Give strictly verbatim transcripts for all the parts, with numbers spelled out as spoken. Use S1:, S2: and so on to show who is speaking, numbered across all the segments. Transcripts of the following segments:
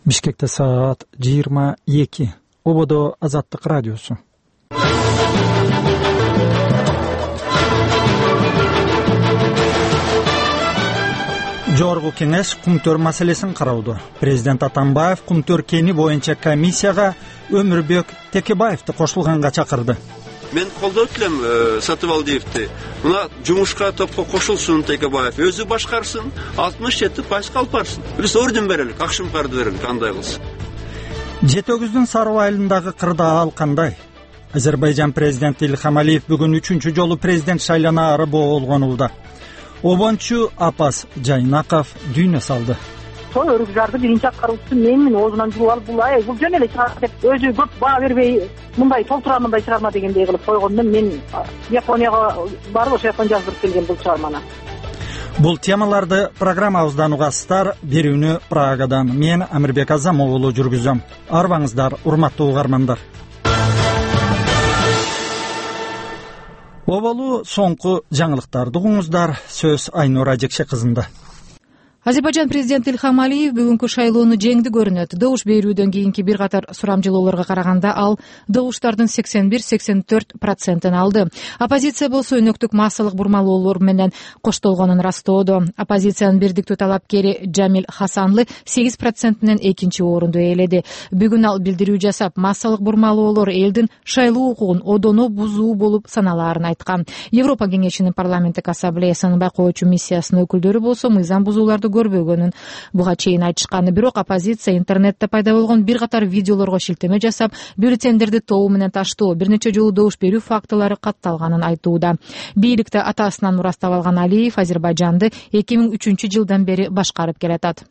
S1: Бишкекте саат жыйырма эки. Ободо Азаттык радиосу. Жогорку кеңеш Кумтөр маселесин кароодо. Президент Атамбаев Кумтөр кени боюнча комиссияга Өмүрбек Текебаевди кошулганга чакырды.
S2: Мен колдоп элем Сатыбалдиевди. Мына жумушка топко кошулсун Текебаев, өзү башкарсын, алтымыш жети пайызга алып барсын. Биз орден берелик, акшымкарды берелик, кандай кылсын.
S1: Жети өгүздүн Сарыб айылындагы кырдаал кандай? Азербайжан президенти Ильхам Алиев бүгүн үчүнчү жолу президент шайланаары болгонууда. Обончу Апас Жайнаков дүйнө салды.
S3: Сол өрүкжарды биринчи аткаруучусу менмин, оозунан жууп алып, бул ай бул жөн эле чыгат деп өзү көп баа бербей, мындай толтура мындай чыгарма дегендей кылып койгондон мен Японияга барып ошол жактан жаздырып келгем бул чыгарманы.
S1: Бул темаларды программабыздан угасыздар. Берүүнү Прагадан мен Амирбек Азам уулу жүргүзөм. Арбаңыздар, урматтуу угармандар. Оболу соңку жаңылыктарды угуңуздар. Сөз Айнура Жекше кызында.
S4: Азербайжан президенти Ильхам Алиев бүгүнкү шайлоону жеңди көрүнөт. Добуш берүүдөн кийинки бир катар сурамжылоолорго караганда ал добуштардын сексен бир — сексен төрт процентин алды. Оппозиция болсо өнөктүк массалык бурмалоолор менен коштолгонун растоодо. Оппозициянын бирдиктүү талапкери Жамил Хасанлы сегиз процент менен экинчи орунду ээледи. Бүгүн ал билдирүү жасап, массалык бурмалоолор элдин шайлоо укугун одоно бузуу болуп саналаарын айткан. Европа кеңешинин парламенттик ассамблеясынын байкоочу миссиясынын өкүлдөрү болсо мыйзам бузууларды көрбөгөнүн буга чейин айтышкан. Бирок оппозиция интернетте пайда болгон бир катар видеолорго шилтеме жасап, бюллетендерди тобу менен таштоо, бир нече жолу добуш берүү фактылары катталганын айтууда. Бийликти атасынан мурастап алган Алиев Азербайжанды эки миң үчүнчү жылдан бери башкарып келатат.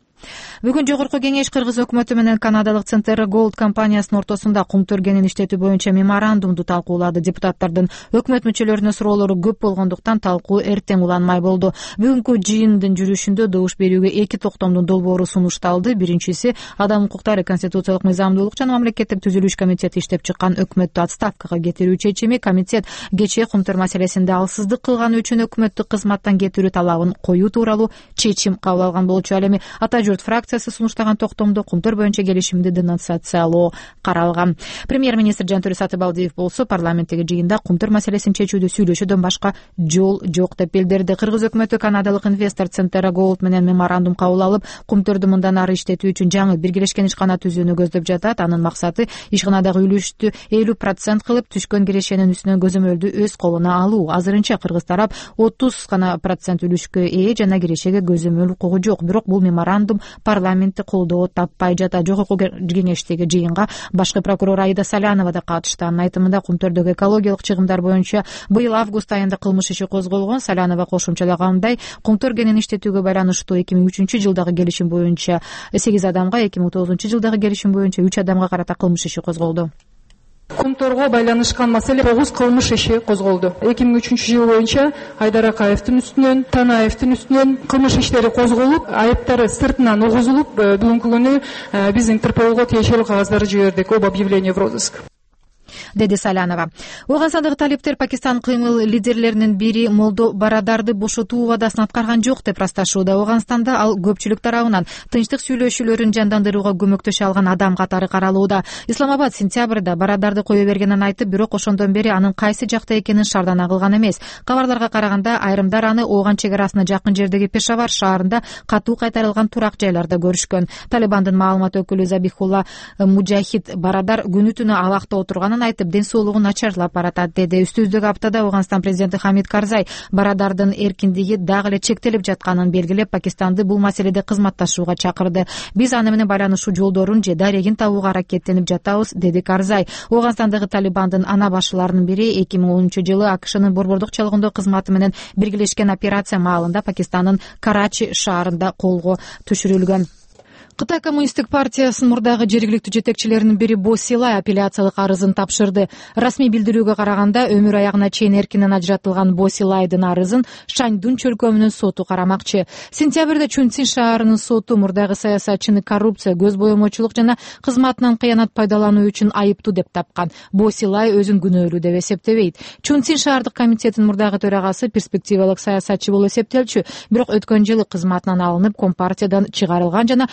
S4: Бүгүн жогорку кеңеш Кыргыз өкмөтү менен канадалык Центера Голд компаниясынын ортосунда кумтөр кенин иштетүү боюнча меморандумду талкуулады. Депутаттардын өкмөт мүчөлөрүнө суроолору көп болгондуктан талкуу эртең уланмай болду. Бүгүнкү жыйындын жүрүшүндө добуш берүүгө эки токтомдун долбоору сунушталды. Биринчиси Адам укуктары, конституциялык мыйзамдуулук жана мамлекеттик түзүлүш комитети иштеп чыккан өкмөттү отставкага кетирүү чечими. Комитет кечээ кумтөр маселесинде алсыздык кылганы үчүн өкмөттү кызматтан кетирүү талабын коюу тууралуу чечим кабыл алган болчу. Ал эми Ата журт фракциясы сунуштаган токтомдо кумтөр боюнча келишимди денонсациялоо каралган. Премьер-министр Жантөре Сатыбалдиев болсо парламенттеги жыйында кумтөр маселесин чечүүдө сүйлөшүүдөн башка жол жок деп билдирди. Кыргыз өкмөтү канадалык инвестор Центера Голд менен меморандум кабыл алып, кумтөрдү мындан ары иштетүү үчүн жаңы биргелешкен ишкана түзүүнү көздөп жатат. Анын максаты ишканадагы үлүштү элүү процент кылып, түшкөн кирешенин үстүнөн көзөмөлдү өз колуна алуу. Азырынча кыргыз тарап отуз гана процент үлүшкө ээ жана кирешеге көзөмөл укугу жок. Бирок бул меморандум парламентти колдоо таппай жатат. Жогорку кеңештеги жыйынга башкы прокурор Аида Салянова да катышты. Анын айтымында кумтөрдөгү экологиялык чыгымдар боюнча быйыл август айында кылмыш иши козголгон. Салянова кошумчалагандай, кумтөр кенин иштетүүгө байланыштуу эки миң үчүнчү жылдагы келишим боюнча сегиз адамга, эки миң тогузунчу жылдагы келишим боюнча үч адамга карата кылмыш иши козголду.
S5: Кумторго байланышкан маселе тогуз кылмыш иши козголду. эки миң үчүнчү жыл боюнча Айдар Акаевдин үстүнөн, Танаевдин үстүнөн кылмыш иштери козголуп, айыптары сыртынан угузулуп, бүгүнкү күнү биз Интерполго тиешелүү кагаздарды жибердик об объявлении в розыск,
S4: деди Салянова. Ооганстандагы талиптер Пакистан кыймыл лидерлеринин бири Молдо Барадарды бошотуу убадасын аткарган жок деп ырасташууда. Ооганстанда ал көпчүлүк тарабынан тынчтык сүйлөшүүлөрүн жандандырууга көмөктөшө алган адам катары каралууда. Исламабад сентябрда Барадарды кое бергенин айтып, бирок ошондон бери анын кайсы жакта экенин шардана кылган эмес. Кабарларга караганда айрымдар аны Ооган чек арасына жакын жердеги Пешавар шаарында катуу кайтарылган турак жайларда көрүшкөн. Талибандын маалымат өкүлү Забихулла Муджахид Барадар күнү түнү абакта отурганын айтып, ден соолугу начарлап баратат деди. Үстүбүздөгү аптада Ооганстан президенти Хамид Карзай Барадардын эркиндиги дагы эле чектелип жатканын белгилеп, Пакистанды бул маселеде кызматташууга чакырды. Биз аны менен байланышуу жолдорун же дарегин табууга аракеттенип жатабыз, деди Карзай. Ооганстандагы Талибандын ана башчыларынын бири эки миң онунчу жылы АКШнын борбордук чалгындоо кызматы менен биргелешкен операция маалында Пакистандын Карачи шаарында колго түшүрүлгөн. Кытай коммунисттик партиясынын мурдагы жергиликтүү жетекчилеринин бири Бо Силай апелляциялык арызын тапшырды. Расмий билдирүүгө караганда, өмүр аягына чейин эркинен ажыратылган Бо Силайдын арызын Шаньдун чөлкөмүнүн соту карамакчы. Сентябрда Чунцин шаарынын соту мурдагы саясатчыны коррупция, көз боемочулук жана кызматынан кыянат пайдалануу үчүн айыптуу деп тапкан. Бо Силай өзүн күнөөлүү деп эсептебейт. Чунцин шаардык комитетинин мурдагы төрагасы перспективалык саясатчы болуп эсептелчү, бирок өткөн жылы кызматынан алынып, компартиядан чыгарылган жана